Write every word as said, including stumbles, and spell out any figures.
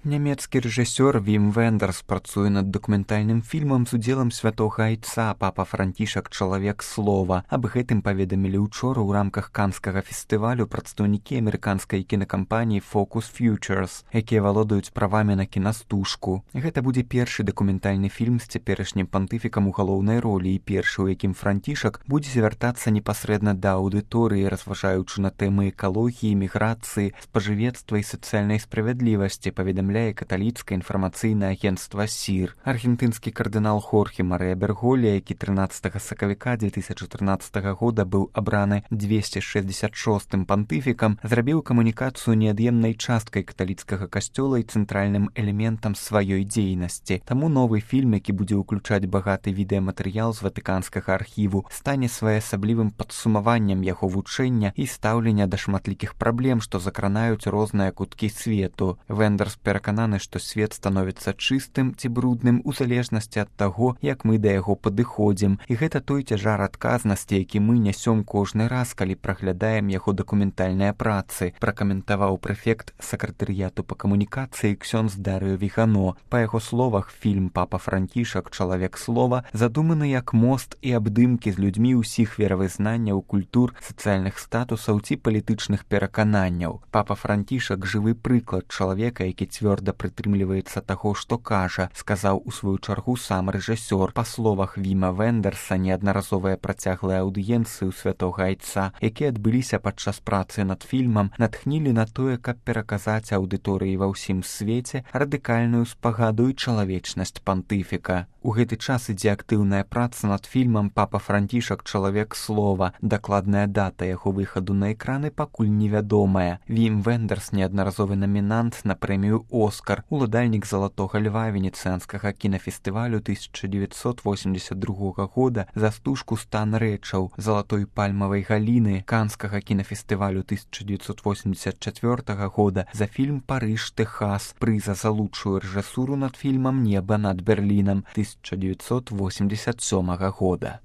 Нямецкі рэжысёр Вім Вендерс працуе над дакументальным фільмам з удзелам святога айца папа Францішак чалавек слова. Аб гэтым паведамілі учора ў рамках канскага фестывалю прадстаўнікі амерыканскай кінакампаніі Focus Features, якія валодаюць правамі на кінастужку. Гэта будзе першы дакументальны фільм з цяперашнім пантыфікам у галоўнай ролі і першы, у якім Францішак будзе звяртацца непасрэдна да аўдыторыі, разважаючы на тэмы экалогіі, міграцыі, спажывецтва і сацыяльнай справядлівасці, паведамляе каталіцкае інфармацыйнае агенцтва сір. Аргентынскі кардынал Хорхе Марыя Берголі, які трынаццатага сакавіка дзве тысячы трынаццатага года быў абраны дзвесце шэсцьдзесят шостым пантыфікам, зрабіў камунікацыю неад'емнай часткай каталіцкага касцёла і цэнтральным элементам сваёй дзейнасці. Таму новы фільм, які будзе ўключаць багаты відэаматэрыял з ватыканскага архіву, стане своеасаблівым падсумаваннем яго вучэння і стаўлення да шматлікіх праблем, што закранаюць розныя куткі свету. Вендерс перакананы, што свет становіцца чыстым ці брудным у залежнасці ад таго, як мы да яго падыходзім. І гэта той цяжар адказнасці, які мы нясём кожны раз, калі праглядаем яго дакументальныя працы, пракаментаваў прэфект сакратарыяту па камунікацыі ксёндз Дарыё Вігано. Па яго словах, фільм «Папа Францішак. Чалавек слова» задуманы як мост і абдымкі з людзьмі ўсіх веравызнанняў, культур, сацыяльных статусаў ці палітычных перакананняў. Папа Францішак – жывы прыклад чалавека, які цвёрда прытрымліваецца таго, што кажа, сказаў у сваю чаргу сам рэжысёр. Па словах Віма Вендерса, неаднаразовыя працяглыя аўдыенцыі ў святога айца, якія адбыліся падчас працы над фільмам, натхнілі на тое, каб пераказаць аўдыторыі ва ўсім свеце радыкальную спагаду і чалавечнасць пантыфіка. У гэты час ідзе актыўная праца над фільмам «Папа Францішак. Чалавек слова». Дакладная дата яго выхаду на экраны пакуль невядомая. Вім Вендерс – неаднаразовы намінант на прэмію «Оскар», уладальнік залатога льва венецыянскага кінафестывалю тысяча дзевяцьсот восемьдесят другога года за стужку «Стан рэчаў», залатой пальмавай галіны канскага кінафестывалю тысяча дзевяцьсот восемьдесят чацвёртага года за фільм «Парыж, Тэхас», прыза за лучшую рэжысуру над фільмам «Неба над Берлінам» тысяча дзевяцьсот восемьдесят сёмага года.